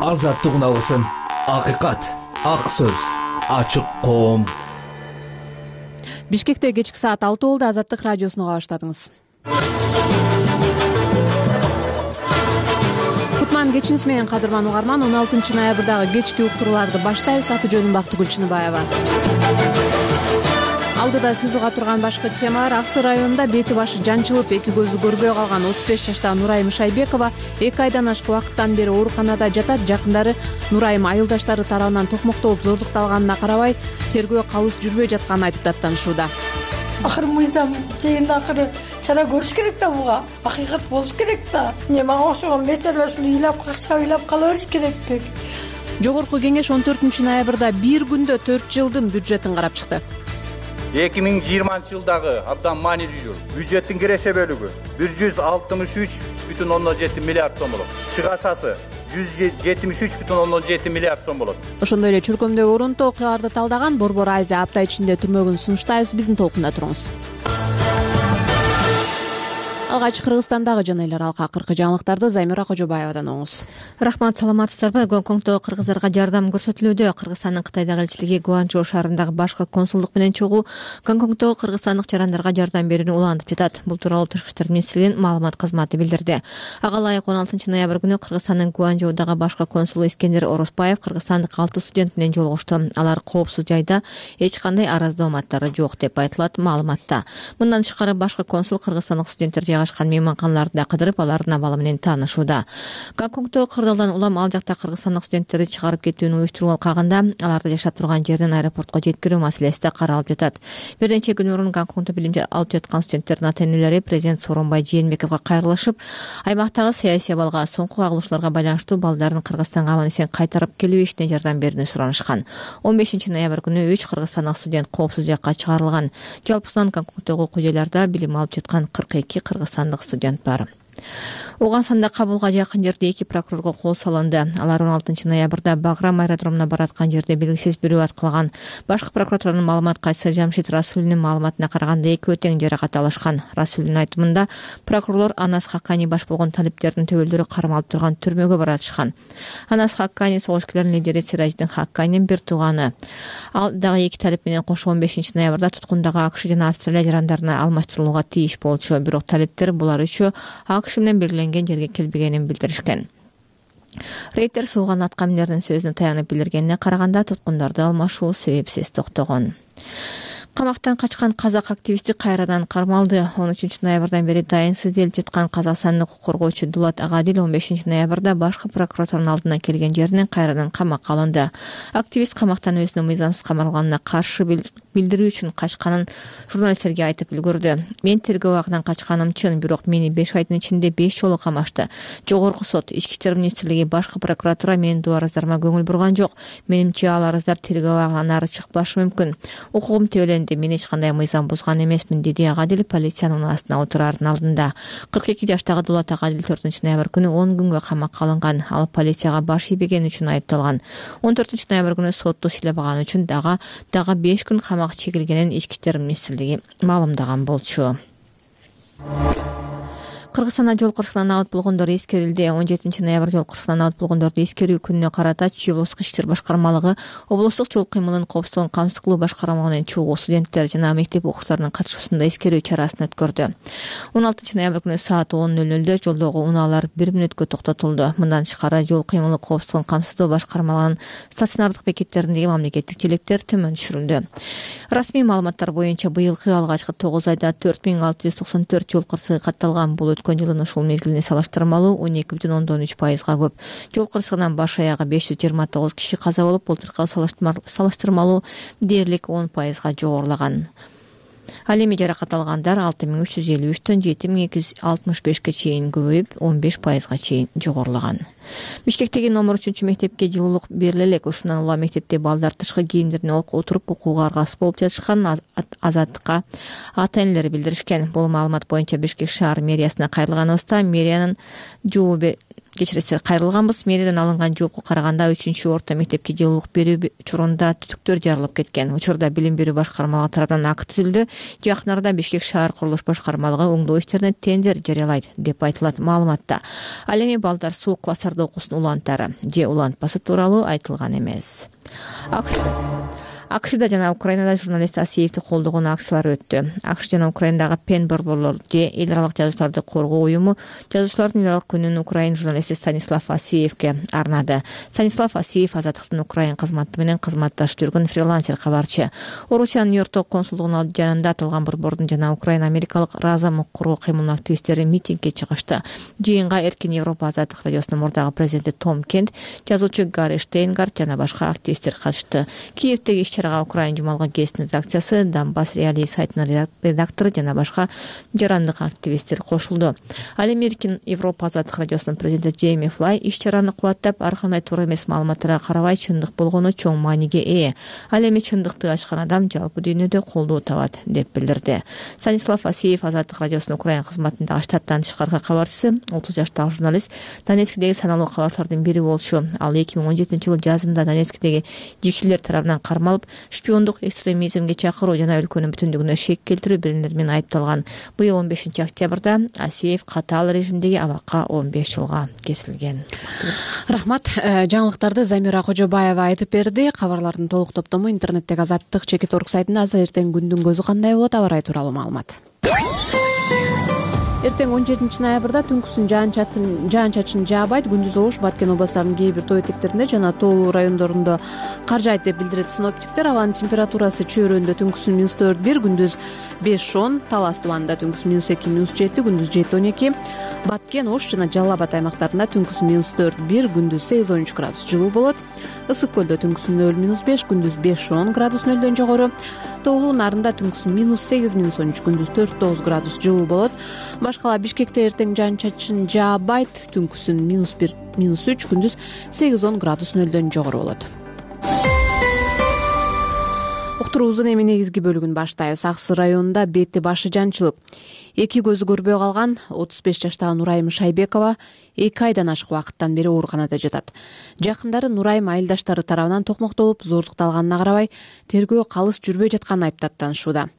азаттык алгысым, акыйкат, ак сөз, ачык коом. Бишкекте кечки саат 6 болду. Азаттык радиосуна баштадыңыз. Кутман кечиңиз менен кадырман угарман. 16 ноябрдагы кечки уктурууларды баштайбыз. Аты жөнүм Бактыгүл Чыныбаева. Алдыда сиз уга турган башкы темалар: Ак Сый районунда бети башы жанчылып, эки көзү көрбөй калган 35 жаштагы Нурайым Шайбекова 2 айдан ашык убакыттан бери ооруканада жатат. Жакындары Нурайым айылдаштары тарабынан токмоктолуп зордукталганына карабай, тергөө калыс жүрбөй жатканын айтып даттанышууда. Акыры мыйзам жайында акыры чара көрүш керек да, буга акыйкат болуш керек да. Мага окшогон бечаралар ушундай ыйлап какча ыйлап кала бериш керекпи? Жогорку кеңеш 14 ноябрда бир күндө 4 жылдын бюджетин карап чыкты. 2020-жылдагы абдан маанилүү бюджеттин киреше бөлүгү 163,7 миллиард сом болот. Чыгашасы 173,7 миллиард сом болот. Ошондой эле чуркөмдөгү орунтуу окуяларды талдаган Борбор Айза апта ичинде түрмөгүн сунуштайбыз. Биздин толкунда туруңуз. Алгач Кыргызстандагы жана эл аралык акыркы жаңылыктарды Займира Кожобаевадан оңуз. Рахмат, саламатсыздарбы? Гонконгдо кыргыздарга жардам көрсөтүлүүдө. Кыргызстандын Кытайдагы элчилиги Гуанчжоу шаарындагы башкы консулдук менен чогуу Гонконгдогу кыргызстандык жарандарга жардам берүүнү улантып жатат. Бул тууралуу Тышкы иштер министрлигинин маалымат кызматы билдирди. Ага ылайык 16 ноябрь күнү Кыргызстандын Гуанчжоудагы башкы консулу Искендер Оросбаев кыргызстандык 6 студент менен жолугушту. Алар коопсуз жайда, эч кандай араздооматтары жок деп айтылат маалыматта. Мындан тышкары башкы консул кыргызстандык студенттер жайгашкан мейманканаларды да кыдырып, алардын абалы менен таанышууда. Гонконгдо кырдаалдан улам ал жакта кыргызстандык студенттерди чыгарып кетүүнү уюштуруп алкагында аларды жашап турган жерден аэропортко жеткирүү маселеси да каралып жатат. Бир нече күн мурун Гонконгдо билим алып жаткан студенттердин ата-энелери президент Сооронбай Жээнбековго кайрылышып, аймактагы саясий абалга, соңку кагылышууларга байланыштуу балдарын Кыргызстанга аман эсен кайтарып келүү ишине жардам берүүнү суранышкан. 15 ноябрь күнү 3 кыргызстандык студент коопсуз жакка чыгарылган. Жалпысынан Гонконгдогу окуу жайларда билим алып жаткан 42 кыргызстандык студент бар. Угансанда Кабулга жакын жерде 2 прокурорго кол салынды. Алар 16 ноябрда Баграм аэродромуна бараткан жерде белгисиз бирөө аткылган. Башкы прокуратуранын маалымат кайсы Жамшит Расулинин маалыматына караганда экөө тең жаракат алышкан. Расулин айтымында прокурорлор Анас Хаккани баш болгон талиптердин төбөлдөрү кармалып турган түрмөгө баратышкан. Анас Хаккани согушкерлердин лидери Сирадждин Хакканинин бир тууганы. Ал дагы 2 талип менен кошо 15 ноябрда туткундагы АКШ жана Австралия жарандарына алмаштырылууга тийиш болчу. Бирок талиптер булар үчөө АКШ менен белгиленген жерге келбегенин билдиришкен. Рейтер сууган аткаминердин сөзүнө таянып билдиргенине караганда туткундарды алмашуу себепсиз токтогон. Камактан качкан казак активисти кайрадан кармалды. 13 ноябрдан бери дайынсыз делип жаткан казакстандык укук коргоочу Дулат Агадил 15 ноябрда башкы прокуратуранын алдына келген жеринен кайрадан камакка алынды. Активист камактан өзүнүн мыйзамсыз камалганына каршы билдирүү үчүн качканын журналисттерге айтып үлгүрдү. Мен тергөө абагынан качканым чын, бирок мени 5 айдын ичинде 5 жолу камашты. Жогорку сот, Ички иштер министрлиги, башкы прокуратура менин дуу арыздарыма көңүл бурган жок. Менимче ал арыздар тергөө абагынан ары чыкпашы мүмкүн. Укугум төөлөндү. Мен эч кандай мыйзам бузган эмесмин, деди Агадил полициянын астына отурардын алдында. 42 жаштагы Дулат Агадил 4 ноябрь күнү 10 күнгө камакка алынган. Ал полицияга баш ийбеген үчүн айыпталган. 14 ноябрь күнү сотту сыйлабаган үчүн дагы 5 күн камак чегилгенин Ички иштер министрлиги маалымдаган болчу. Кыргызстанда жол кырсыгынан абыт болгондор эскерилди. 17 ноябрь жол кырсыгынан абыт болгондорду эскерүү күнүнө карата Чүй облустук ички иштер башкармалыгы облустук жол кыймылын коопсуздугун камсыз кылуу башкармалыгы менен чогуу студенттер жана мектеп окуучуларынын катышуусунда эскерүү чарасын өткөрдү. 16 ноябрь күнү саат 10:00 жолдогу унаалар 1 мүнөткө токтотулду. Мындан тышкары жол кыймылы коопсуздугун камсыздоо башкармалыгынын стационардык бекеттериндеги мамлекеттик желектер төмөн түшүрүлдү. Расмий маалыматтар боюнча быйылкы алгачкы 9 айда 4694 жол кырсыгы катталган. Бул өткөн жылдын ушул мезгилине салыштырмалуу 12,3%га көп. Жол кырсыгынан баш аягы 529 киши каза болуп, былтыркыга салыштырмалуу дээрлик 10%га жогорулаган. Ал эми жаракат алгандар 6353төн 7265ке чейин көбөйүп, 15%га чейин жогорулаган. Бишкектеги номер 3 мектепке жылуулук бериле элек. Ушундан улам мектепте балдар тышкы кийимдерин отуруп окууга аргасыз болуп жатышканын Азаттыкка ата-энелери билдиришкен. Бул маалымат боюнча Бишкек шаар мэриясына кайрылганыбызда мэриянын Кечиресиздер, кайрылганбыз. Мэриядан алынган жоопко караганда 3-орто мектепке жылуулук берүү учурунда түтүктөр жарылып кеткен. Учурда билим берүү башкармалыгы тарабынан акт түзүлдү. Жакын арада Бишкек шаар курулуш башкармалыгы оңдоо иштерине тендер жарыялайт деп айтылат маалыматта. Ал эми балдар суу класстарда окусун улантары же улантпасы тууралуу айтылган эмес. АКШда жана Украинада журналист Асиевди колдогон акциялар өттү. АКШ жана Украиндагы Пен борборлор же эл аралык жазуучуларды коргоо уюму жазуучулардын эл аралык күнүн Украин журналисти Станислав Асиевге арнады. Станислав Асиев Азаттыктын Украин кызматы менен кызматташып жүргөн фрилансер кабарчы. Орусиянын Нью-Йорктогу консулдугунун алды жанында аталган борбордун жана Украин америкалык Раза коргоо кыймылынын активисттери митингге чыгышты. Жыйынга Эркин Европа Азаттык радиосунун мурдагы президенти Том Кент, жазуучу Гарри Штейнгард жана башка активисттер катышты. Киевдеги Украин жумалгы гезитинин редакциясы, Донбасс реалии сайтынын редактору жана башка жарандык активисттер кошулду. Ал эми Эркин Европа Азаттык радиосунун президенти Джейми Флай иш-чараны кубаттап, ар кандай туура эмес маалыматтарга карабай чындык болгону чоң мааниге ээ. Ал эми чындыкты ачкан адам жалпы дүйнөдө колдоо табат деп билдирди. Станислав Асиев Азаттык радиосунун Украин кызматындагы штаттан тышкаркы кабарчысы, 30 жаштагы журналист, Донецктеги саналуу кабарчылардын бири болчу. Ал 2017-жылы жазында Донецктеги жигчилер тарабынан кармалып, шпиондук экстремизмге чакыруу жана өлкөнүн бүтүндүгүнө шек келтирүү беренелери менен айыпталган. Быйыл 15-октябрда Асиев катаал режимдеги абакка 15 жылга кесилген. Рахмат. Жаңылыктарды Замира Кожобаева айтып берди. Кабарлардын толук топтому интернеттеги Азаттык.org сайтында азыр эртең күндүн көзү кандай болот, аба ырайы тууралуу маалымат. Эртең 17 ноябрда түнкүсүн жаан-чачын жаабайт, күндүз ош Баткен областарынын кээ бир тоо этектеринде жана тоолуу райондорунда кар жаайт деп билдирет синоптиктер. Абанын температурасы чөйрөндө түнкүсүн -4-1, күндүз 5-10, Талас тубанында түнкүсүн -2-7, күндүз 7-12, Баткен, Ош жана Жалал Абад аймактарында түнкүсүн -4-1, күндүз 8-13 градус жылуу болот. Ысык көлдө түнкүсүн 0-5, күндүз 5-10 градус нөлдөн жогору. Тоолуу Нарында түнкүсүн -8-13, күндүз 4-9 градус жылуу болот. Башкала Бишкекте эртең жаан-чачын жаабайт, түнкүсүн -1-3, күндүз 8-10 градус нөлдөн жогору болот. Уктуруубуздун эми негизги бөлүгүн баштайбыз. Аксы районунда бети башы жанчылып, эки көзү көрбөй калган 35 жаштагы Нурайым Шайбекова 2 айдан ашык убакыттан бери ооруканада жатат. Жакындары Нурайым айылдаштары тарабынан токмоктолуп, зордукталганына карабай, тергөө калыс жүрбөй жатканын айыптап танышууда.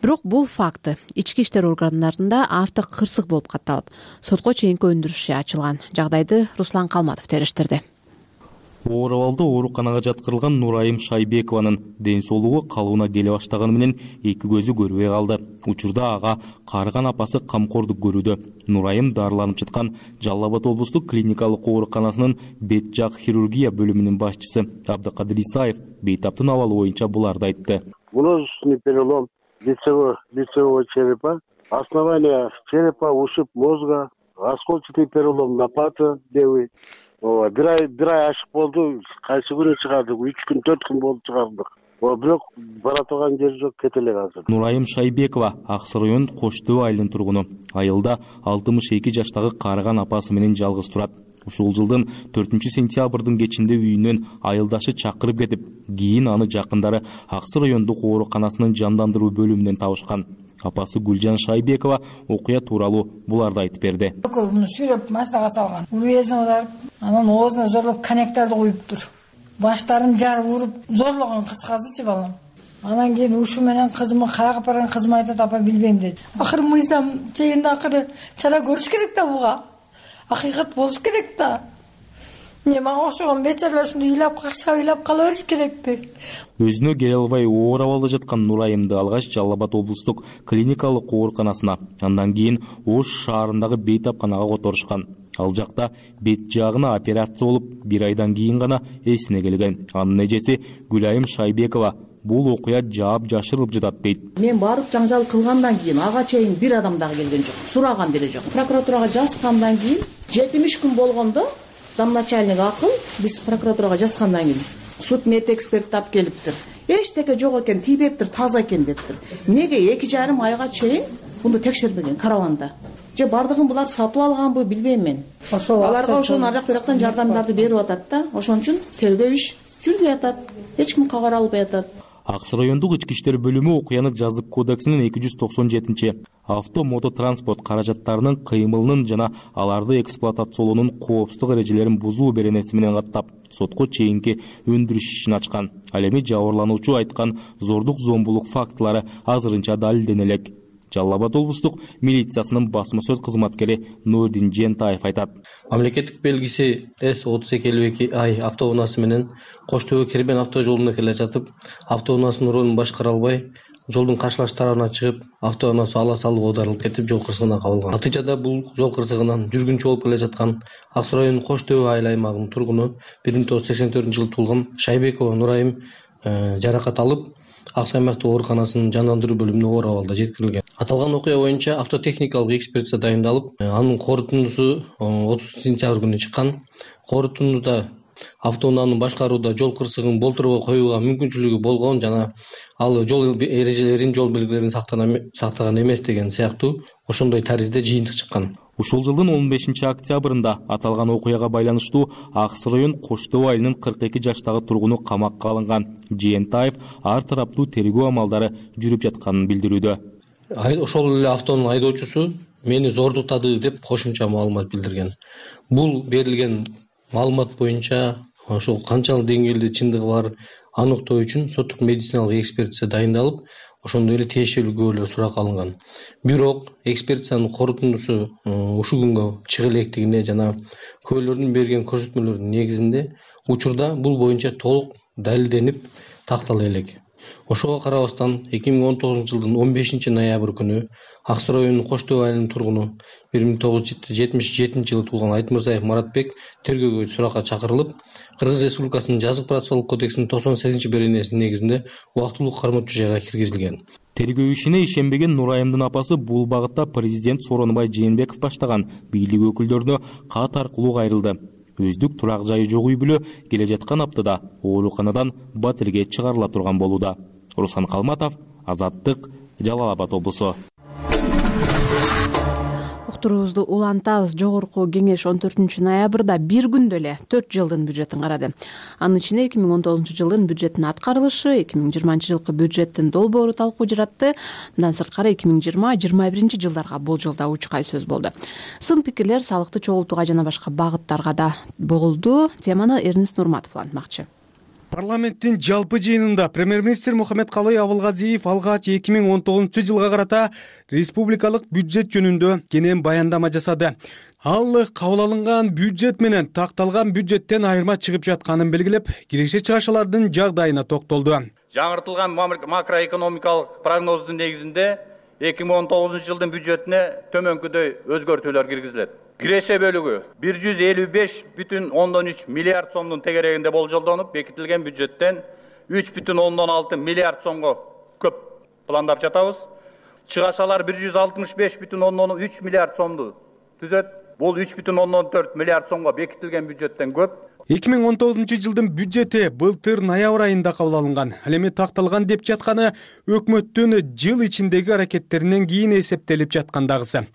Бирок бул факты ички иштер органдарында автокырсык болуп катталып, сотко чейинки өндүрүш ачылган. Жагдайды Руслан Калматов териштирди. Оор абалда ооруканага жаткырылган Нурайым Шайбекованын ден соолугу калыбына келе баштаганы менен эки көзү көрбөй калды. Учурда ага карыган апасы камкордук көрүүдө. Нурайым дарыланып жаткан Жалал Абад облустук клиникалык ооруканасынын бет жак хирургия бөлүмүнүн башчысы Абдыкадыр Исаев бейтаптын абалы боюнча буларды айтты. Множественный перелом лицевого черепа, основание черепа, ушиб мозга, осколчатый перелом лопаты левый. Бир ай ашык болду, кайсы күнү чыгардык, 3 күн 4 күн болуп чыгардык. Бирок бара турган жери жок, кете элек азыр. Нурайым Шайбекова Аксы районунун Кош Төө айылынын тургуну. Айылда 62 жаштагы карыган апасы менен жалгыз турат. Ушул жылдын 4-сентябрдын кечинде үйүнөн айылдашы чакырып кетип, кийин аны жакындары Аксы райондук ооруканасынын жандандыруу бөлүмүнөн табышкан. Апасы Гүлжан Шайбекова окуя тууралуу буларды айтып берди. Муну сүйрөп машинага салган. Уруэзин ударып, анан оозуна зорлоп коньяктарды куюптур. Баштарын жарып уруп зорлогон кыскасычы балам. Анан кийин ушу менен кызымы каяка барган, кызым айтат, апа билбейм деди. Акыры мыйзам чегинде акыры чара көрүш керек да буга. Акыйкат болуш керек да. Мага окшогон бечаралар ушундай ыйлап какшап ыйлап кала бериш керекпи? Өзүнө келе албай оор абалда жаткан Нурайымды алгач Жалал Абад облустук клиникалык ооруканасына, андан кийин Ош шаарындагы бейтапканага которушкан. Ал жакта бет жагына операция болуп, 1 айдан кийин гана эсине келген. Анын эжеси Гүлайым Шайбекова бул окуя жаап жашырылып жатат дейт. Мен барып жаңжал кылгандан кийин ага чейин бир адам дагы келген жок, сураган деле жок. Прокуратурага жазгандан кийин 70 күн болгондо замначальник акыл биз прокуратурага жазгандан кийин суд медэксперт тап келиптир. Эчтеке жок экен, тийбептир, таза экен дептир. Эмнеге 2,5 айга чейин муну текшербеген караванда? Же бардыгын булар сатып алганбы билбейм мен. Аларга ошонун ар жак бирактан жардамдарды берип атат да, ошон үчүн тергөө иш жүрбөй атат. Эч ким кабар албай атат. ак суу райондук ички иштер бөлүмү окуяны жазык кодексинин 297 авто мототранспорт каражаттарынын кыймылынын жана аларды эксплуатациялоонун коопсуздук эрежелерин бузуу беренеси менен каттап сотко чейинки өндүрүш ишин ачкан. Ал эми жабырлануучу айткан зордук зомбулук фактылары азырынча далилдене элек. Жалал Абад облустук милициясынын басма сөз кызматкери Нурдин Жентаев айтат. Мамлекеттик белгиси С-3252 автоунаасы менен Кош Төбө Кербен авто жолунда келе жатып, автоунаасынын ролун башкара албай, жолдун каршылаш тарабына чыгып, автоунаасы ала салып оодарылып кетип, жол кырсыгына кабылган. Натыйжада бул жол кырсыгынан жүргүнчү болуп келе жаткан Ак Суу районунун Кош Төбө айыл аймагынын тургуну 1984-жылы туулган Шайбекова Нурайым жаракат алып, Ак Суу аймактык ооруканасынын жандандыруу бөлүмүнө оор абалда жеткирилген. Аталган окуя боюнча автотехникалык экспертиза дайындалып, анын корутундусу 30 сентябрь күнү чыккан. Корутундуда автоунааны башкарууда жол кырсыгын болтурбой коюуга мүмкүнчүлүгү болгон жана ал жол эрежелерин, жол белгилерин сактаган эмес деген сыяктуу ошондой таризде жыйынтык чыккан. Ушул жылдын 15 октябрында аталган окуяга байланыштуу Ак Суу район Кош Төбө айылынын 42 жаштагы тургуну камакка алынган. Жиентаев ар тараптуу тергөө амалдары жүрүп жатканын билдирүүдө. Ошол эле автонун айдоочусу мени зордуктады деп кошумча маалымат билдирген. Бул берилген маалымат боюнча ошол канчалык деңгээлде чындыгы бар аныктоо үчүн соттук медициналык экспертиза дайындалып, ошондой эле тиешелүү күбөлөр суракка алынган. Бирок экспертизанын корутундусу ушул күнгө чыга электигине жана күбөлөрдүн берген көрсөтмөлөрүнүн негизинде учурда бул боюнча толук далилденип тактала элек. Ошого карабастан 2019 жылдын 15 ноябрь күнү Ак Суу районунун Кош Төбө айылынын тургуну 1977 жылы туулган Айтмырзаев Маратбек тергөөгө суракка чакырылып, Кыргыз Республикасынын жазык процессуалдык кодексинин 98 беренесинин негизинде убактылуу кармоочу жайга киргизилген. Тергөө ишине ишенбеген Нурайымдын апасы бул багытта президент Сооронбай Жээнбеков баштаган бийлик өкүлдөрүнө кат аркылуу кайрылды. Өздүк турак жайы жок үй бүлө келе жаткан аптада ооруканадан батирге чыгарыла турган болууда. Руслан Калматов, Азаттык, Жалал Абад облусу. Уктуруубузду улантабыз. Жогорку кеңеш 14 ноябрда бир күндө эле 4 жылдын бюджетин карады. Анын ичинде 2019 жылдын бюджеттин аткарылышы, 2020 жылкы бюджеттин долбоору талкуу жаратты. Мындан сырткары 2020-2021 жылдарга болжолдоо учкай сөз болду. Сын пикирлер салыкты чогултууга жана башка багыттарга да болду. Теманы Эрнест Нурматов улантмакчы. Парламенттин жалпы жыйынында премьер-министр Мухаммедкалый Абылгазиев алгач 2019 жылга карата республикалык бюджет жөнүндө кенен баяндама жасады. Ал кабыл алынган бюджет менен такталган бюджеттен айырма чыгып жатканын белгилеп, киреше чыгашалардын жагдайына токтолду. Жаңыртылган макроэкономикалык прогноздун негизинде 2019 жылдын бюджетине төмөнкүдөй өзгөртүүлөр киргизилет. Киреше бөлүгү 155,3 миллиард сомдун тегерегинде болжолдонуп, бекитилген бюджеттен 3,6 миллиард сомго көп пландап жатабыз. Чыгашалар 165,3 миллиард сомду түзөт. Бул 3,4 миллиард сомго бекитилген бюджеттен көп. 2019 жылдын бюджети былтыр ноябрь айында кабыл алынган. Ал эми такталган деп жатканы өкмөттүн жыл ичиндеги аракеттеринен кийин эсептелип жаткандагысы.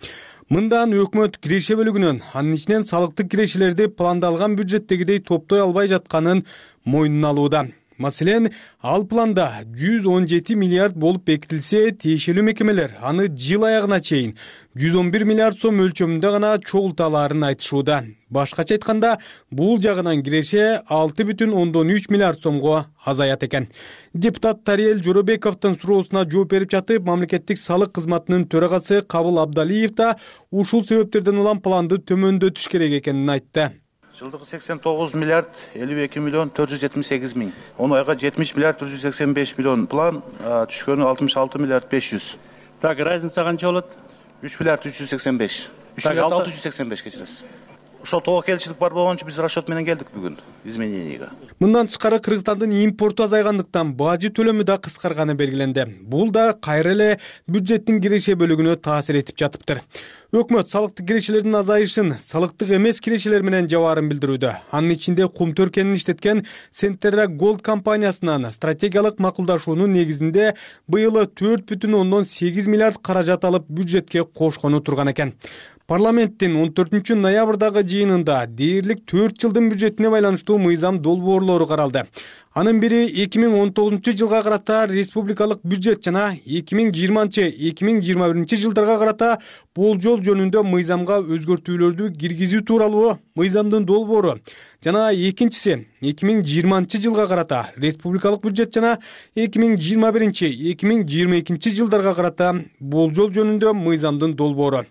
Мындан өкмөт киреше бөлүгүнөн, анын ичинен салыктык кирешелерди пландалган бюджеттегидей топтой албай жатканын мойнуна алууда. Маселен, ал планда 117 миллиард болуп бекитилсе, тиешелүү мекемелер аны жыл аягына чейин 111 миллиард сом өлчөмүндө гана чогулталарын айтышууда. Башкача айтканда, бул жагынан киреше 6,3 миллиард сомго азаят экен. Депутат Тариел Жоробековдун суроосуна жооп берип жатып, мамлекеттик салык кызматынын төрагасы Кабыл Абдалиев да ушул себептерден улам планды төмөндөтүш керек экенин айтты. Жылдыгы 89 миллиард 52 миллион 478 миң. Оны айга 70 миллиард 485 миллион план, түшкөнү 66 миллиард 500. Так, разница канча болот? 3 миллиард 385. 3 миллиард 685 кечиресиз. Ошол тоо келишилик бар болгончо биз расчет менен келдик бүгүн измененияга. Мындан тышкары Кыргызстандын импорту азайгандыктан бажы төлөмү да кыскарганы белгиленди. Бул да кайра эле бюджеттин киреше бөлүгүнө таасир этип жатыптыр. Өкмөт салыктык кирешелердин азайышын салыктык эмес кирешелер менен жабаарын билдирүүдө. Анын ичинде кум төркенин иштеткен Сентерра Голд компаниясынан стратегиялык макулдашуунун негизинде быйыл 4,8 миллиард каражат алып бюджетке кошкону турган экен. Парламенттин 14 ноябрдагы жыйынында дээрлик 4 жылдын бюджетине байланыштуу мыйзам долбоорлору каралды. Анын бири 2019 жылга карата республикалык бюджет жана 2020-2021 жылдарга карата болжол жөнүндө мыйзамга өзгөртүүлөрдү киргизүү тууралуу мыйзамдын долбоору. Жана экинчиси 2020 жылга карата республикалык бюджет жана 2021-2022 жылдарга карата болжол жөнүндө мыйзамдын долбоору.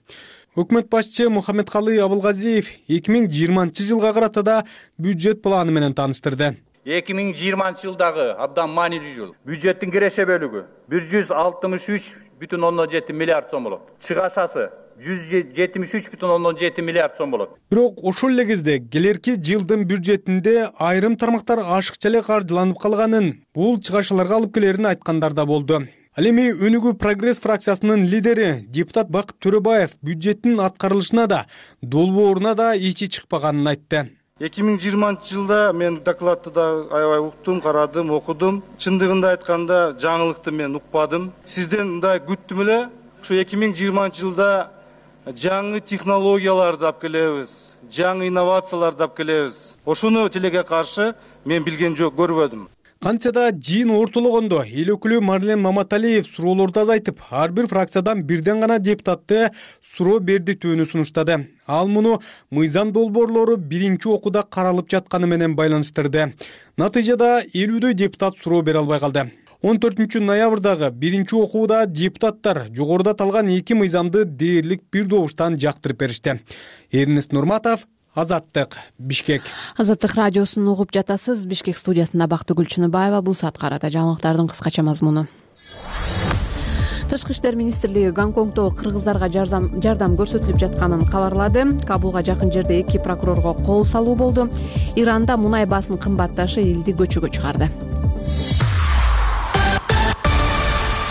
Өкмөт башчы Мухаммедкалый Абылгазиев 2020 жылга карата да бюджет планы менен тааныштырды. 2020 жылдагы абдан маанилүү жыл. Бюджеттин киреше бөлүгү 163,7 миллиард сом болот. Чыгашасы 173,7 миллиард сом болот. Бирок ошол эле кезде келерки жылдын бюджетинде айрым тармактар ашыкча эле каржыланып калганын, бул чыгашаларга алып келерин айткандар да болду. Ал эми Өнүгүү Прогресс фракциясынын лидери депутат Бакыт Төрөбаев бюджеттин аткарылышына да, долбооруна да ичи чыкпаганын айтты. 2020 жылда мен докладты да аябай уктум, карадым, окудум. Чындыгында айтканда жаңылыкты мен укпадым. Сизден мындай күттүм эле, ушу 2020 жылда жаңы технологияларды алып келебиз, жаңы инновацияларды алып келебиз. Ошону тилеге каршы мен билген жок, көрбөдүм. Кантсе да жыйын ортологондо эл өкүлү Марлен Маматалиев суроолорду азайтып, ар бир фракциядан бирден гана депутатты суроо бердитүүнү сунуштады. Ал муну мыйзам долбоорлору биринчи окууда каралып жатканы менен байланыштырды. Натыйжада 50дөй депутат суроо бере албай калды. 14 ноябрдагы биринчи окууда депутаттар жогоруда аталган эки мыйзамды дээрлик бир добуштан жактырып беришти. Эрнест Нурматов, Азаттык, Бишкек. Азаттык радиосун угуп жатасыз. Бишкек студиясында Бактыгүл Чыныбаева. Бул саат карата жаңылыктардын кыскача мазмуну. Тышкы иштер министрлиги Гонконгдо кыргыздарга жардам көрсөтүлүп жатканын кабарлады. Кабулга жакын жерде эки прокурорго кол салуу болду. Иранда мунай баасынын кымбатташы элди көчөгө чыгарды.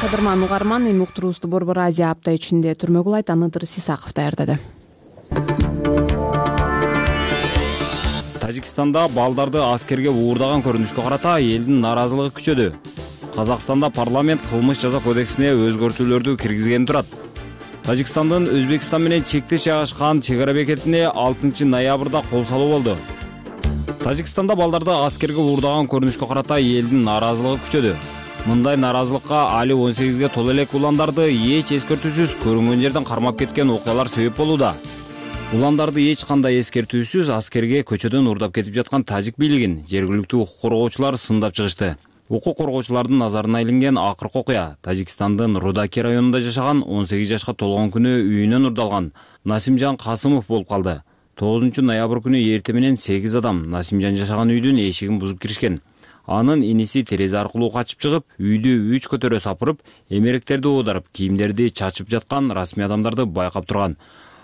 Кадырман угарман, эми уктуруубузду Борбор Азия апта ичинде түрмөгү улайт. Аныдыр Сисаков даярдады. Тажикстанда балдарды аскерге уурдаган көрүнүшкө карата элдин нааразылыгы күчөдү. Казакстанда парламент кылмыш жаза кодексине өзгөртүүлөрдү киргизген турат. Тажикстандын Өзбекстан менен чектеш жайгашкан чек ара бекетине 6 ноябрда кол салуу болду. Тажикстанда балдарды аскерге уурдаган көрүнүшкө карата элдин нааразылыгы күчөдү. Мындай нааразылыкка али 18ге толо элек уландарды эч эскертүүсүз көрүнгөн жерден кармап кеткен окуялар себеп болууда. Уландарды эч кандай эскертүүсүз аскерге көчөдөн уурдап кетип жаткан тажик бийлигин жергиликтүү укук коргоочулар сындап чыгышты. Укук коргоочулардын назарына илинген акыркы окуя Тажикстандын Рудаки районунда жашаган 18 жашка толгон күнү үйүнөн урдалган Насимжан Касымов болуп калды. 9 ноябрь күнү эртең менен 8 адам Насимжан жашаган үйдүн эшигин бузуп киришкен. Анын иниси терезе аркылуу качып чыгып, үйдү 3 көтөрө сапырып, эмеректерди оодарып, кийимдерди чачып жаткан расмий адамдарды байкап турган.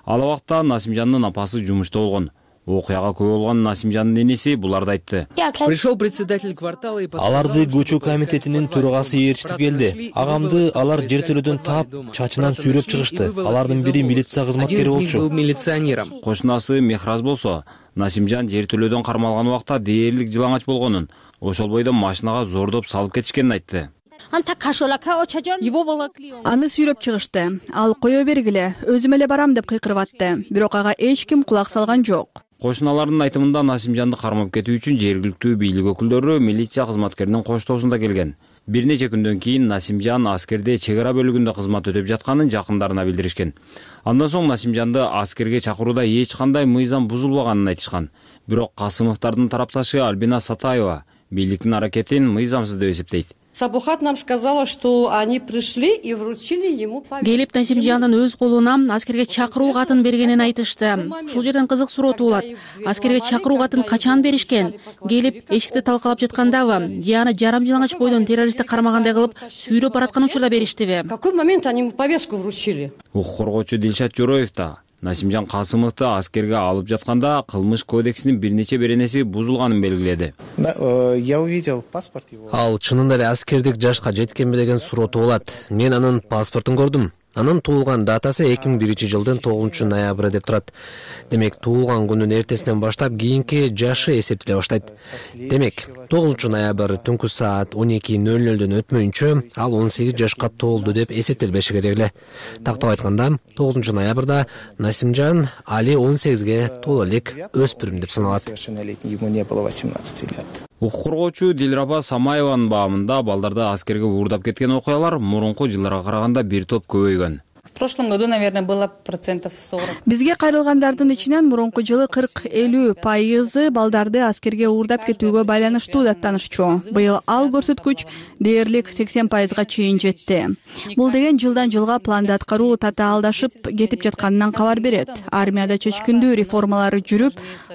Ал убакта Насимжандын апасы жумушта болгон. Окуяга күбө болгон Насимжандын иниси буларды айтты. Пришел председатель квартала и аларды көчө комитетинин төрагасы ээрчитип келди. Агамды алар жертөлөдөн таап, чачынан сүйрөп чыгышты. Алардын бири милиция кызматкери болчу. Кошунасы Мехраз болсо, Насимжан жертөлөдөн кармалган убакта дээрлик жылаңач болгонун, ошол бойдон машинага зордоп салып кетишкенин айтты. Аны сүйрөп чыгышты. Ал кое бергиле, өзүм эле барам деп кыйкырып атты. Бирок ага эч ким кулак салган жок. Кошуналардын айтымында Насимжанды кармап кетүү үчүн жергиликтүү бийлик өкүлдөрү милиция кызматкеринин коштоосунда келген. Бир нече күндөн кийин Насимжан аскерде чек ара бөлүгүндө кызмат өтөп жатканын жакындарына билдиришкен. Андан соң Насимжанды аскерге чакырууда эч кандай мыйзам бузулбаганын айтышкан. Бирок Касымовдардын тарапташы Альбина Сатаева бийликтин аракетин мыйзамсыз деп эсептейт. Сабухат нам сказала, что они пришли и вручили ему повестку. Келип Насимжандын өз колуна аскерге чакыруу катын бергенин айтышты. Ушул жерден кызык суроо туулат. Аскерге чакыруу катын качан беришкен? Келип эшикти талкалап жаткандабы? Же аны жарым жылаңач бойдон террористти кармагандай кылып сүйрөп бараткан учурда бериштиби? В какой момент они ему повестку вручили? Укук коргоочу Дилшат Жороев да Насимжан Касымовду аскерге алып жатканда кылмыш кодексинин бир нече беренеси бузулганын белгиледи. Я увидел паспорт его. Ал чынында эле аскердик жашка жеткенби деген суроо туулат. Мен анын паспортун көрдүм. Анын туулган датасы 2001-жылдын 9-ноябры деп турат. Демек, туулган күнүн эртесинен баштап кийинки жашы эсептеле баштайт. Демек, 9-ноябрь түнкү саат 12:00 өтмөйүнчө ал 18 жашка толду деп эсептелбеши керек эле. Тактап айтканда, 9-ноябрда Насимжан Али 18ге толо элек өспүрүм деп саналат. Укук коргоочу Дилраба Самаеванын баамында балдарды аскерге уурдап кеткен окуялар мурунку жылдарга караганда бир топ көбөйгөн. В прошлом году, наверное, было 40%. Бизге кайрылгандардын ичинен мурунку жылы 40-50% балдарды аскерге уурдап кетүүгө байланыштуу даттанышчу. Быйыл ал көрсөткүч дээрлик 80%га чейин жетти. Бул деген жылдан жылга планды аткаруу татаалдашып кетип жатканынан кабар берет. Армияда чечкиндүү реформалар жүрүп,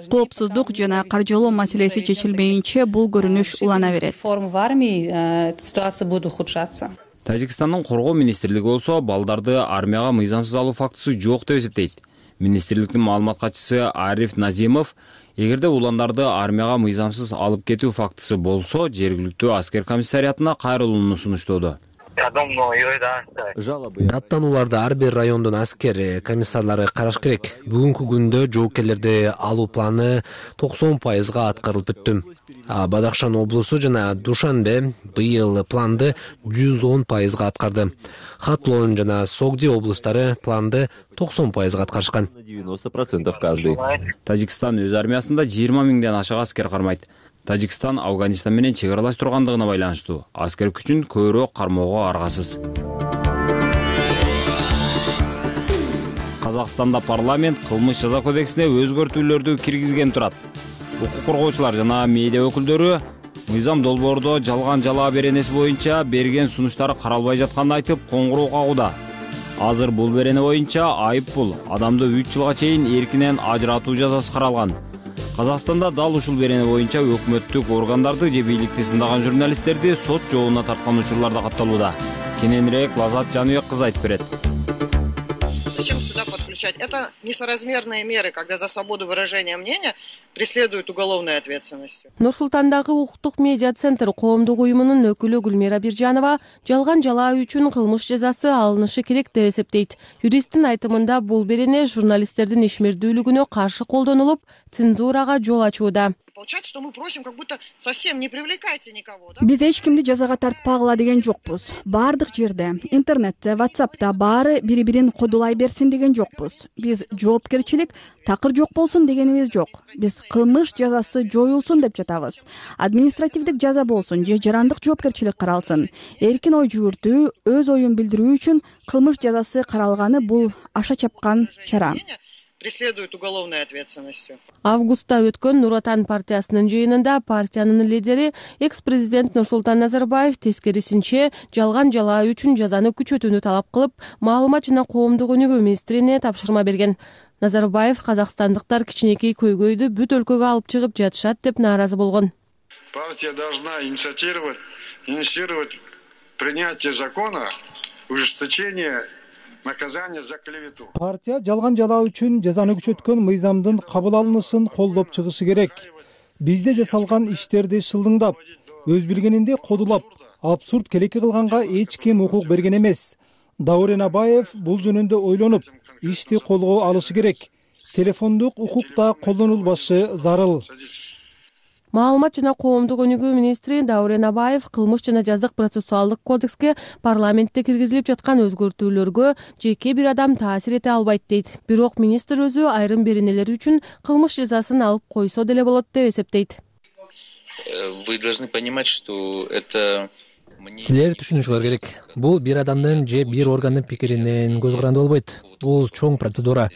коопсуздук жана каржылоо маселеси чечилмейинче бул көрүнүш улана берет. Реформ в армии, ситуация будет ухудшаться. Тажикстандын коргоо министрлиги болсо балдарды армияга мыйзамсыз алуу фактысы жок деп эсептейт. Министрликтин маалымат катчысы Ариф Назимов, эгерде уландарды армияга мыйзамсыз алып кетүү фактысы болсо, жергиликтүү аскер комиссариатына кайрылууну сунуштоодо. Даттанууларды ар бир райондун аскер комиссарлары караш керек. Бүгүнкү күндө жоопкерлерди алуу планы 90%га аткарылып бүттү. Бадахшан облусу жана Душанбе быйыл планды 110%га аткарды. Хатлон жана Согди облустары планды 90%га аткарышкан. 90% каждый. Тажикстан өз армиясында 20 миңден ашык аскер кармайт. Тажикстан Афганистан менен чек аралаш тургандыгына байланыштуу аскер күчүн көбүрөөк кармоого аргасыз. Казакстанда парламент кылмыш жаза кодексине өзгөртүүлөрдү киргизген турат. Укук коргоочулар жана медиа өкүлдөрү мыйзам долбоордо жалган жалаа беренеси боюнча берген сунуштары каралбай жатканын айтып коңгуроо кагууда. Азыр бул берене боюнча айып бул адамды 3 жылга чейин эркинен ажыратуу жазасы каралган. Казакстанда дал ушул берене боюнча өкмөттүк органдарды же бийликти сындаган журналисттерди сот жообуна тарткан учурлар да катталууда. Кененирээк Лазат Жаныбек кызы айтып берет. Зачем сюда подключать? Это несоразмерные меры, когда за свободу выражения мнения преследуют уголовной ответственностью. Нур-Султандагы укуктук медиа центр коомдук уюмунун өкүлү Гүлмира Биржанова жалган жалаа үчүн кылмыш жазасы алынышы керек деп эсептейт. Юристтин айтымында бул берене журналисттердин ишмердүүлүгүнө каршы колдонулуп, цензурага жол ачууда. Получается, что мы просим, как будто совсем не привлекайте никого, да? Биз эч кимди жазага тартпагыла деген жокпуз. Бардык жерде, интернетте, WhatsApp'та баары бири-бирин кодулай берсин деген жокпуз. Биз жоопкерчилик такыр жок болсун дегенибиз жок. Биз кылмыш жазасы жоюлсун деп жатабыз. Административдик жаза болсун же жарандык жоопкерчилик каралсын. Эркин ой жүгүртүү, өз оюн билдирүү үчүн кылмыш жазасы каралганы бул аша чапкан чара. Преследуют уголовной ответственностью. Августта өткөн Нур Отан партиясынын жыйынында партиянын лидери экс-президент Нурсултан Назарбаев тескерисинче жалган жалаа үчүн жазаны күчөтүүнү талап кылып, маалымат жана коомдук өнүгүү министрине тапшырма берген. Назарбаев казакстандыктар кичинекей көйгөйдү бүт өлкөгө алып чыгып жатышат деп нааразы болгон. Партия должна инициировать принятие закона ужесточение наказание за клевету. Партия жалган жалаа үчүн жазаны күчөткөн мыйзамдын кабыл алынышын колдоп чыгышы керек. Бизде жасалган иштерди шылдыңдап, өз билгенинде кодулап, абсурд келеке кылганга эч ким укук берген эмес. Даурен Абаев бул жөнүндө ойлонуп, ишти колго алышы керек. Телефондук укук да колдонулбашы зарыл. Маалымат жана коомдук өнүгүү министри Даурен Абаев кылмыш жана жазык процессуалдык кодекске парламентте киргизилип жаткан өзгөртүүлөргө жеке бир адам таасир эте албайт дейт. Бирок министр өзү айрым беренелер үчүн кылмыш жазасын алып койсо деле болот деп эсептейт. Вы должны понимать, что это Силер түшүнүшүңөр керек. Бул бир адамдын же бир органдын пикиринен көз каранды болбойт. Бул чоң процедура.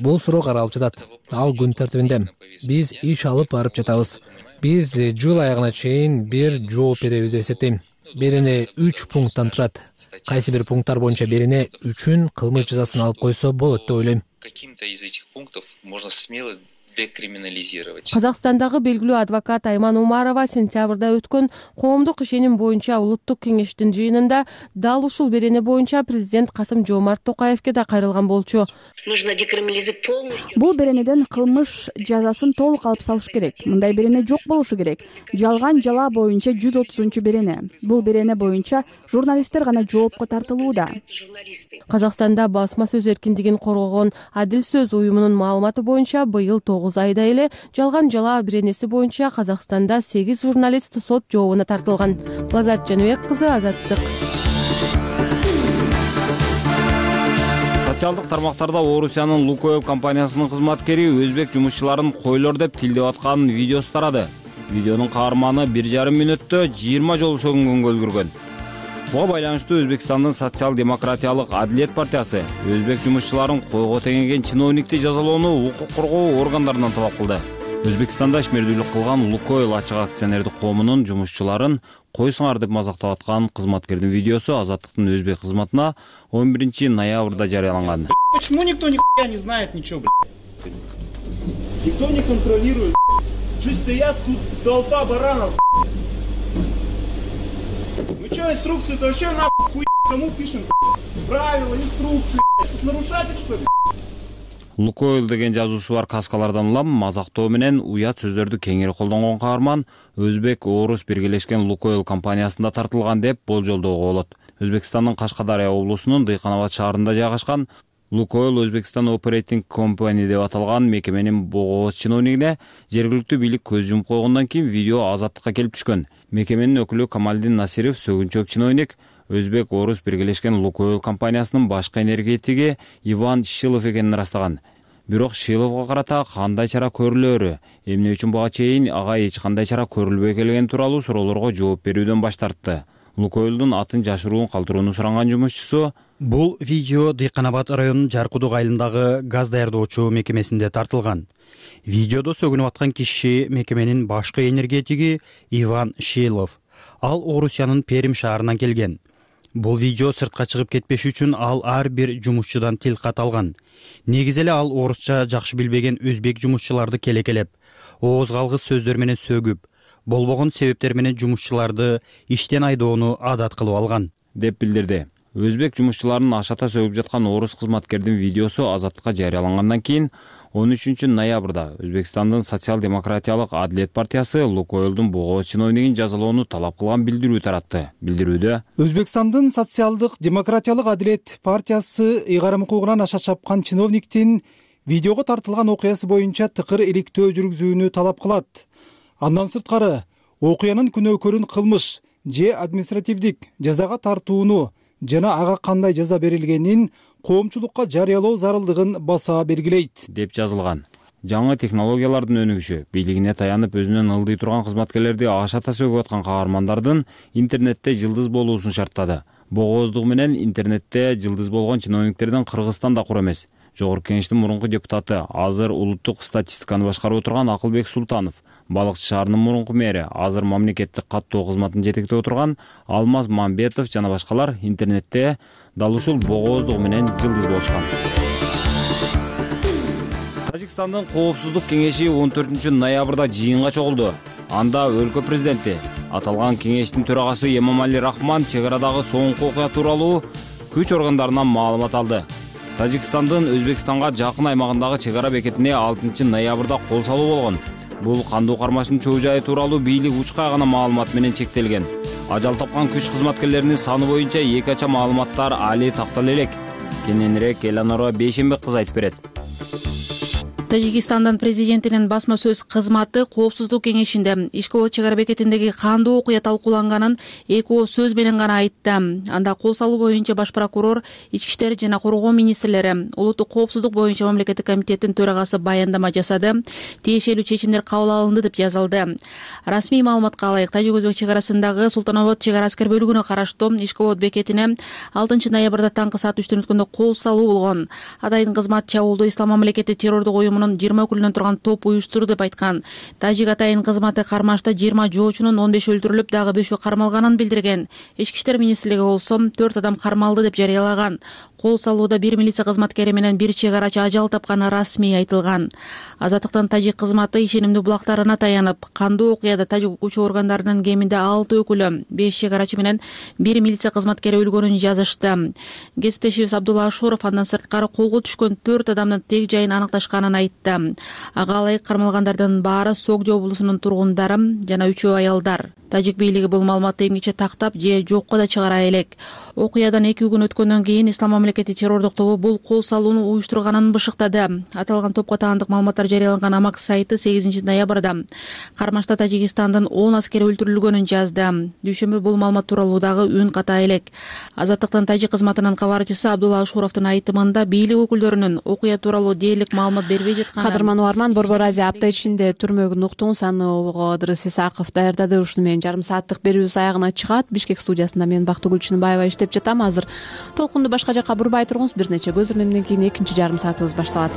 Бул суроо каралып жатат. Ал күн тартибинде. Биз иш алып барып жатабыз. Биз жыл аягына чейин бир жооп беребиз деп эсептейм. Берене 3 пункттан турат. Кайсы бир пункттар боюнча берене үчүн кылмыш жазасын алып койсо болот деп ойлойм. Каким-то из этих пунктов можно смело декриминализировать. Казакстандагы белгилүү адвокат Айман Умарова сентябрда өткөн коомдук ишеним боюнча улуттук кеңештин жыйынында дал ушул берене боюнча президент Касым-Жомарт Токаевке да кайрылган болчу. Бул беренеден кылмыш жазасын толук алып салыш керек. Мындай берене жок болушу керек. Жалган жала боюнча 130 берене. Бул берене боюнча журналисттер гана жоопко тартылууда. Казакстанда басма сөз эркиндигин коргогон Адил сөз уюмунун маалыматы боюнча быйыл 9 айда эле жалган жала беренеси боюнча Казакстанда 8 журналист сот жообуна тартылган. Лазат Жаныбек кызы, Азаттык. Социалдык тармактарда Орусиянын Лукойл компаниясынын кызматкери өзбек жумушчуларын койлор деп тилдеп аткан видеосу тарады. Видеонун каарманы 1,5 мүнөттө 20 жолу сөгүнгөнгө үлгүргөн. Буга байланыштуу Өзбекстандын социал-демократиялык Адилет партиясы өзбек жумушчуларын койго теңеген чиновникти жазалоону укук коргоо органдарынан талап кылды. Өзбекстанда ишмердүүлүк кылган Лукойл ачык акционердик коомунун жумушчуларын койсуңар деп мазактап аткан кызматкердин видеосу Азаттыктын өзбек кызматына 11 ноябрда жарыяланган. Почему никто нихуя не знает ничего, блядь? Никто не контролирует. Что стоят тут толпа баранов? Ну что, инструкции-то вообще нахуй хуй кому пишем? Правила, инструкции, что нарушатель, что ли? Лукойл деген жазуусу бар каскалардан улам мазактоо менен уят сөздөрдү кеңири колдонгон каарман Өзбек Орус биргелешкен Лукойл компаниясында тартылган деп болжолдоого болот. Өзбекстандын Кашкадария облусунун Дыйканабад шаарында жайгашкан Лукойл Өзбекстан Operating Company деп аталган мекеменин богооз чиновнигине жергиликтүү бийлик көз жумуп койгондон кийин видео Азаттыкка келип түшкөн. Мекеменин өкүлү Камалдин Насиров сөгүнчөк чиновник Өзбек Орус биргелешкен Лукойл компаниясынын башкы энергетиги Иван Шилов экенин ырастаган. Бирок Шиловго карата кандай чара көрүлөөрү, эмне үчүн буга чейин ага эч кандай чара көрүлбөй келгени тууралуу суроолорго жооп берүүдөн баш тартты. Лукойлдун атын жашыруун калтырууну суранган жумушчусу бул видео Дыйканабад районунун Жаркудук айылындагы газ даярдоочу мекемесинде тартылган. Видеодо сөгүнүп аткан киши мекеменин башкы энергетиги Иван Шилов. Ал Орусиянын Перим шаарынан келген. Бул видео сыртка чыгып кетпеш үчүн ал ар бир жумушчудан тил кат алган. Негизи эле ал орусча жакшы билбеген өзбек жумушчуларды келекелеп, ооз калгыс сөздөр менен сөгүп, болбогон себептер менен жумушчуларды иштен айдоону адат кылып алган деп билдирди. Өзбек жумушчуларын ашата сөгүп жаткан орус кызматкердин видеосу Азаттыкка жарыялангандан кийин 13 ноябрда Өзбекстандын социал-демократиялык Адилет партиясы Лукойлдун богооз чиновнигин жазалоону талап кылган билдирүү таратты. Билдирүүдө Өзбекстандын социалдык демократиялык Адилет партиясы ыйгарым укугунан аша чапкан чиновниктин видеого тартылган окуясы боюнча тыкыр иликтөө жүргүзүүнү талап кылат. Андан сырткары окуянын күнөөкөрүн кылмыш же административдик жазага тартууну жана ага кандай жаза берилгенин коомчулукка жарыялоо зарылдыгын баса белгилейт деп жазылган. Жаңы технологиялардын өнүгүшү бийлигине таянып өзүнөн ылдый турган кызматкерлерди ашата сөгүп аткан каармандардын интернетте жылдыз болуусун шарттады. Богооздугу менен интернетте жылдыз болгон чиновниктердин Кыргызстан да кур эмес. Жогорку кеңештин мурунку депутаты, азыр улуттук статистиканы башкарып отурган Акылбек Султанов, Балыкчы шаарынын мурунку мэри, азыр мамлекеттик каттоо кызматын жетектеп отурган Алмаз Мамбетов жана башкалар интернетте дал ушул богооздугу менен жылдыз болушкан. Тажикстандын коопсуздук кеңеши 14 ноябрда жыйынга чогулду. Анда өлкө президенти, аталган кеңештин төрагасы Эмомали Рахман чек арадагы соңку окуя тууралуу күч органдарынан маалымат алды. Тажикстандын Өзбекстанга жакын аймагындагы чек ара бекетине 6 ноябрда кол салуу болгон. Бул кандуу кармаштын чоо жайы тууралуу бийлик учкай гана маалымат менен чектелген. Ажал тапкан күч кызматкерлеринин саны боюнча эки ача маалыматтар али тактала элек. Кененирээк Эланора Бейшембек кыз айтып берет. Тажикстандын президентинин басма сөз кызматы коопсуздук кеңешинде Ишкова чек ара бекетиндеги кандуу окуя талкууланганын эки ооз сөз менен гана айтты. Анда кол салуу боюнча баш прокурор, ички иштер жана коргоо министрлери, улуттук коопсуздук боюнча мамлекеттик комитеттин төрагасы баяндама жасады. Тиешелүү чечимдер кабыл алынды деп жазылды. Расмий маалыматка ылайык, Тажик-Өзбек чек арасындагы Султанобод чек ара аскер бөлүгүнө караштуу Ишкова бекетине 6 ноябрда таңкы саат 3 өткөндө кол салуу болгон. Адайдын кызмат чабуулду Ислам мамлекети террордук уюмунун 20 өкүлүнөн турган топ уюштурду деп айткан. Тажик атайын кызматы кармашта 20 жоочунун 15 өлтүрүлүп, дагы 5 кармалганын билдирген. Ички иштер министрлиги болсо 4 адам кармалды деп жарыялаган. кол салууда бир милиция кызматкери менен бир чек арачы ажал тапканы расмий айтылган. Азаттыктын тажик кызматы ишенимдүү булактарына таянып, кандуу окуяда тажик укуучу органдарынын кеминде 6 өкүлү, 5 чек арачы менен бир милиция кызматкери өлгөнүн жазышты. Кесиптешибиз Абдулла Ашуров андан сырткары колго түшкөн 4 адамдын тег жайын аныкташканын айтты. Ага ылайык кармалгандардын баары Согдо облусунун тургундары жана 3 аялдар. Тажик бийлиги бул маалыматты эмгиче тактап же жокко да чыгара элек. Окуядан 2 күн өткөндөн кийин Ислам мамлекети террордук тобу бул кол салууну уюштурганын бышыктады. Аталган топко таандык маалыматтар жарыяланган Амак сайты 8 ноябрда кармашта Тажикстандын 10 аскери өлтүрүлгөнүн жазды. Дүйшөмбү бул маалымат тууралуу дагы үн ката элек. Азаттыктын тажик кызматынын кабарчысы Абдулла Ашуровдун айтымында бийлик өкүлдөрүнүн окуя тууралуу дээрлик маалымат бербей жатканын. Кадырман Уарман, Борбор Азия апта ичинде түрмөгүн уктуң Сануулго Ыдырыс Исаков даярдады. Ушуну менен жарым сааттык берүүбүз аягына чыгат. Бишкек студиясында мен Бактыгүл Чынбаева иштеп жатам. Азыр толкунду башка жакка бурбай туруңуз. Бир нече көзөрмөмдөн кийин экинчи жарым саатыбыз башталат.